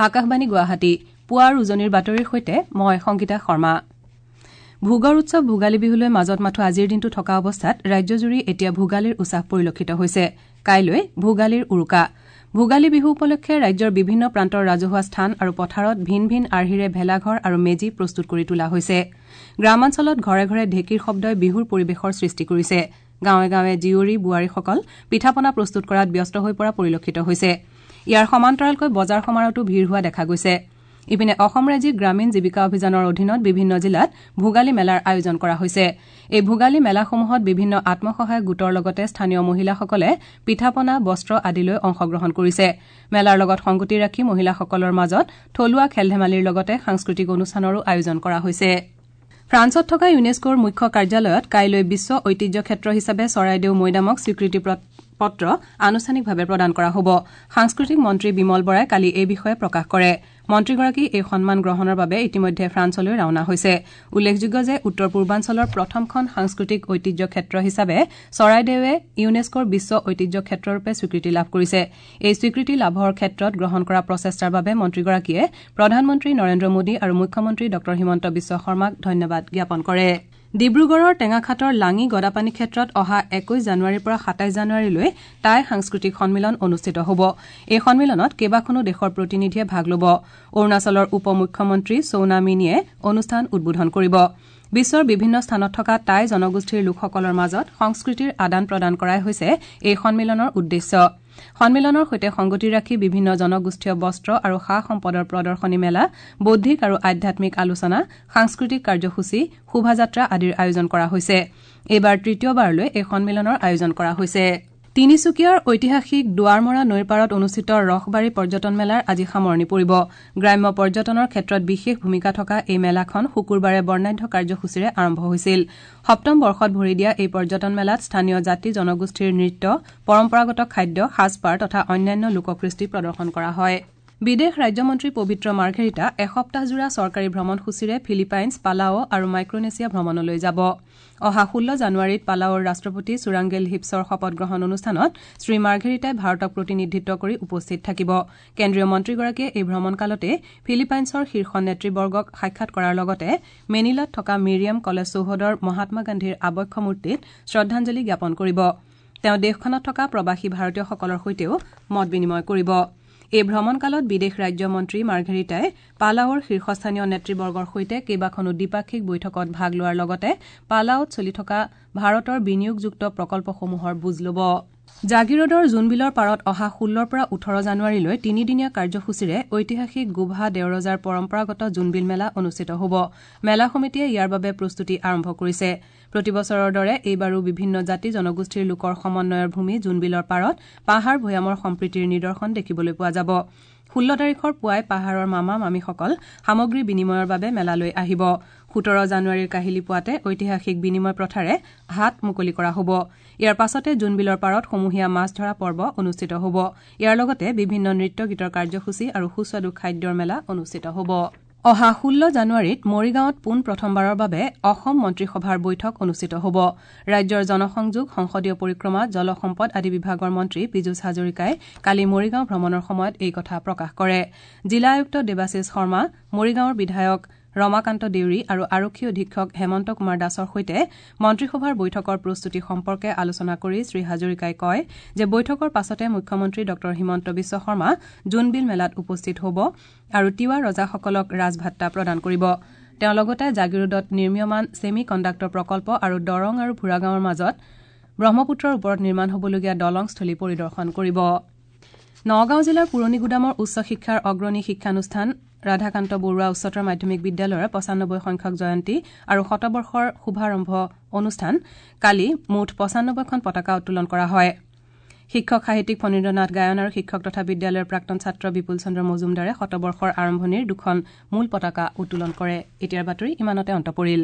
আকাশবাণী গুৱাহাটী পুৱাৰ উজনিৰ বাতৰিৰ সৈতে মই সংগীতা শৰ্মা। ভোগৰ উৎসৱ ভোগালী বিহুলৈ মাজত মাথো আজিৰ দিনটো থকা অৱস্থাত ৰাজ্যজুৰি এতিয়া ভোগালীৰ উছাহ পৰিলক্ষিত হৈছে। কাইলৈ ভোগালীৰ উৰুকা। ভোগালী বিহু উপলক্ষে ৰাজ্যৰ বিভিন্ন প্ৰান্তৰ ৰাজহুৱা স্থান আৰু পথাৰত ভিন ভিন আৰ্হিৰে ভেলাঘৰ আৰু মেজি প্ৰস্তুত কৰি তোলা হৈছে। গ্ৰামাঞ্চলত ঘৰে ঘৰে ঢেঁকীৰ শব্দই বিহুৰ পৰিৱেশৰ সৃষ্টি কৰিছে। গাঁৱে গাঁৱে জীয়ৰী বোৱাৰীসকল পিঠা-পনা প্ৰস্তুত কৰাত ব্যস্ত হৈ পৰা পৰিলক্ষিত হৈছে। ইয়াৰ সমান্তৰালকৈ বজাৰ সমাৰতো ভিৰ হোৱা দেখা গৈছে। ইপিনে অসম ৰাজ্যিক গ্ৰামীণ জীৱিকা অভিযানৰ অধীনত বিভিন্ন জিলাত ভোগালী মেলাৰ আয়োজন কৰা হৈছে। এই ভোগালী মেলাসমূহত বিভিন্ন আত্মসহায়ক গোটৰ লগতে স্থানীয় মহিলাসকলে পিঠা-পনা, বস্ত্ৰ আদি লৈ অংশগ্ৰহণ কৰিছে। মেলাৰ লগত সংগতি ৰাখি মহিলাসকলৰ মাজত থলুৱা খেল-ধেমালিৰ লগতে সাংস্কৃতিক অনুষ্ঠানৰো আয়োজন কৰা হৈছে। ফ্ৰান্সত থকা ইউনেস্কোৰ মুখ্য কাৰ্যালয়ত কাইলৈ বিশ্ব ঐতিহ্য ক্ষেত্ৰ হিচাপে চৰাইদেউ মৈদামক স্বীকৃতি পত্ৰ আনুষ্ঠানিকভাৱে প্ৰদান কৰা হ'ব। সাংস্কৃতিক মন্ত্ৰী বিমল বৰাই কালি এই বিষয়ে প্ৰকাশ কৰে। মন্ত্ৰীগৰাকী এই সন্মান গ্ৰহণৰ বাবে ইতিমধ্যে ফ্ৰান্সলৈ ৰাওনা হৈছে। উল্লেখযোগ্য যে উত্তৰ পূৰ্বাঞ্চলৰ প্ৰথমখন সাংস্কৃতিক ঐতিহ্য ক্ষেত্ৰ হিচাপে চৰাইদেৱে ইউনেস্কোৰ বিশ্ব ঐতিহ্য ক্ষেত্ৰৰূপে স্বীকৃতি লাভ কৰিছে। এই স্বীকৃতি লাভৰ ক্ষেত্ৰত গ্ৰহণ কৰা প্ৰচেষ্টাৰ বাবে মন্ত্ৰীগৰাকীয়ে প্ৰধানমন্ত্ৰী নৰেন্দ্ৰ মোদী আৰু মুখ্যমন্ত্ৰী ড হিমন্ত বিশ্ব শৰ্মাক ধন্যবাদ জ্ঞাপন কৰে। ডিব্ৰুগড়ৰ টেঙাখাটৰ লাঙি গদাপাণি ক্ষেত্ৰত অহা ২১ জানুৱাৰীৰ পৰা ২৭ জানুৱাৰীলৈ টাই সাংস্কৃতিক সন্মিলন অনুষ্ঠিত হ'ব। এই সন্মিলনত কেইবাখনো দেশৰ প্ৰতিনিধিয়ে ভাগ ল'ব। অৰুণাচলৰ উপ মুখ্যমন্ত্ৰী চৌনা মিনিয়ে অনুষ্ঠান উদ্বোধন কৰিব। বিশ্বৰ বিভিন্ন স্থানত থকা টাই জনগোষ্ঠীৰ লোকসকলৰ মাজত সংস্কৃতিৰ আদান প্ৰদান কৰাই হৈছে এই সন্মিলনৰ উদ্দেশ্য। সন্মিলনৰ সৈতে সংগতি ৰাখি বিভিন্ন জনগোষ্ঠীয় বস্ত্ৰ আৰু সা-সম্পদৰ প্ৰদৰ্শনী মেলা, বৌদ্ধিক আৰু আধ্যাত্মিক আলোচনা, সাংস্কৃতিক কাৰ্যসূচী, শোভাযাত্ৰা আদিৰ আয়োজন কৰা হৈছে। এইবাৰ তৃতীয়বাৰলৈ এই সন্মিলনৰ আয়োজন কৰা হৈছে। তিনিচুকীয়াৰ ঐতিহাসিক দুৱাৰমৰা নৈৰ পাৰত অনুষ্ঠিত ৰসবাৰী পৰ্যটন মেলাৰ আজি সামৰণি পৰিব। গ্ৰাম্য পৰ্যটনৰ ক্ষেত্ৰত বিশেষ ভূমিকা থকা এই মেলাখন শুকুৰবাৰে বৰ্ণাঢ্য কাৰ্যসূচীৰে আৰম্ভ হৈছিল। সপ্তম বৰ্ষত ভৰি দিয়া এই পৰ্যটন মেলাত স্থানীয় জাতি জনগোষ্ঠীৰ নৃত্য, পৰম্পৰাগত খাদ্য, সাজপাৰ তথা অন্যান্য লোককৃষ্টি প্ৰদৰ্শন কৰা হয়। বিদেশ ৰাজ্যমন্ত্ৰী পবিত্ৰ মাৰ্ঘেৰিটা এসপ্তাহজোৰা চৰকাৰী ভ্ৰমণসূচীৰে ফিলিপাইনছ, পালাও আৰু মাইক্ৰনেছিয়া ভ্ৰমণলৈ যাব। অহা ১৬ জানুৱাৰীত পালাওৰ ৰাষ্ট্ৰপতি চুৰাংগেল হিপছৰ শপত গ্ৰহণ অনুষ্ঠানত শ্ৰীমাৰ্ঘেৰিটাই ভাৰতক প্ৰতিনিধিত্ব কৰি উপস্থিত থাকিব। কেন্দ্ৰীয় মন্ত্ৰীগৰাকীয়ে এই ভ্ৰমণকালতে ফিলিপাইনছৰ শীৰ্ষ নেতৃবৰ্গক সাক্ষাৎ কৰাৰ লগতে মেনিলাত থকা মিৰিয়াম কলেজ চৌহদৰ মহাত্মা গান্ধীৰ আবক্ষ মূৰ্তিত শ্ৰদ্ধাঞ্জলি জ্ঞাপন কৰিব। তেওঁ দেশখনত থকা প্ৰৱাসী ভাৰতীয়সকলৰ সৈতেও মত বিনিময় কৰিব। এই ভ্ৰমণকালত বিদেশ ৰাজ্য মন্ত্ৰী মাৰ্ঘেৰিটাই পালাওৰ শীৰ্ষস্থানীয় নেতৃবৰ্গৰ সৈতে কেইবাখনো দ্বিপাক্ষিক বৈঠকত ভাগ লোৱাৰ লগতে পালাওত চলি থকা ভাৰতৰ বিনিয়োগযুক্ত প্ৰকল্পসমূহৰ বুজ ল'ব। জাগীৰোডৰ জোনবিলৰ পাৰত অহা ১৬ৰ পৰা ১৮ জানুৱাৰীলৈ তিনিদিনীয়া কাৰ্যসূচীৰে ঐতিহাসিক গোভা দেওৰজাৰ পৰম্পৰাগত জোনবিল মেলা অনুষ্ঠিত হ'ব। মেলা সমিতিয়ে ইয়াৰ বাবে প্ৰস্তুতি আৰম্ভ কৰিছে। প্ৰতিবছৰৰ দৰে এইবাৰো বিভিন্ন জাতি জনগোষ্ঠীৰ লোকৰ সমন্বয়ৰ ভূমি জোনবিলৰ পাৰত পাহাৰ ভৈয়ামৰ সম্প্ৰীতিৰ নিদৰ্শন দেখিবলৈ পোৱা যাব। ১৬ তাৰিখৰ পুৱাই পাহাৰৰ মামা মামীসকল সামগ্ৰী বিনিময়ৰ বাবে মেলালৈ আহিব। ১৭ জানুৱাৰীৰ কাহিলী পুৱাতে ঐতিহাসিক বিনিময় প্ৰথাৰে হাট মুকলি কৰা হ'ব। ইয়াৰ পাছতে জোনবিলৰ পাৰত সমূহীয়া মাছ ধৰা পৰ্ব অনুষ্ঠিত হ'ব। ইয়াৰ লগতে বিভিন্ন নৃত্য গীতৰ কাৰ্যসূচী আৰু সুস্বাদু খাদ্যৰ মেলা অনুষ্ঠিত হ'ব। অহা ১৬ জানুৱাৰীত মৰিগাঁৱত পোন প্ৰথমবাৰৰ বাবে অসম মন্ত্ৰীসভাৰ বৈঠক অনুষ্ঠিত হ'ব। ৰাজ্যৰ জনসংযোগ, সংসদীয় পৰিক্ৰমা, জলসম্পদ আদি বিভাগৰ মন্ত্ৰী পীযুষ হাজৰিকাই কালি মৰিগাঁও ভ্ৰমণৰ সময়ত এই কথা প্ৰকাশ কৰে। জিলা আয়ুক্ত দেৱাশীষ শৰ্মা, মৰিগাঁৱৰ বিধায়ক ৰমাকান্ত দেউৰী আৰু আৰক্ষী অধীক্ষক হেমন্ত কুমাৰ দাসৰ সৈতে মন্ত্ৰীসভাৰ বৈঠকৰ প্ৰস্তুতি সম্পৰ্কে আলোচনা কৰি শ্ৰীহাজৰিকাই কয় যে বৈঠকৰ পাছতে মুখ্যমন্ত্ৰী ড হিমন্ত বিশ্ব শৰ্মা জোনবিল মেলাত উপস্থিত হ'ব আৰু তিৱা ৰজাসকলক ৰাজভাট্টা প্ৰদান কৰিব। তেওঁ লগতে জাগীৰোডত নিৰ্মীয়মান ছেমি কণ্ডাক্টৰ প্ৰকল্প আৰু দৰং আৰু ভূৰাগাঁৱৰ মাজত ব্ৰহ্মপুত্ৰৰ ওপৰত নিৰ্মাণ হ'বলগীয়া দলংস্থলী পৰিদৰ্শন কৰিব। নগাঁও জিলাৰ পুৰণিগুদামৰ উচ্চ শিক্ষাৰ অগ্ৰণী শিক্ষানুষ্ঠান ৰাধাকান্ত বৰুৱা উচ্চতৰ মাধ্যমিক বিদ্যালয়ৰ ৯৫ সংখ্যক জয়ন্তী আৰু শতবৰ্ষৰ শুভাৰম্ভ অনুষ্ঠান কালি মুঠ ৯৫খন পতাকা উত্তোলন কৰা হয়। শিক্ষক সাহিত্যিক ফণীন্দ্ৰনাথ গায়ন আৰু শিক্ষক তথা বিদ্যালয়ৰ প্ৰাক্তন ছাত্ৰ বিপুল চন্দ্ৰ মজুমদাৰে শতবৰ্ষৰ আৰম্ভণিৰ দুখন মূল পতাকা উত্তোলন কৰে। এতিয়াৰ বাতৰি ইমানতে অন্ত পৰিল।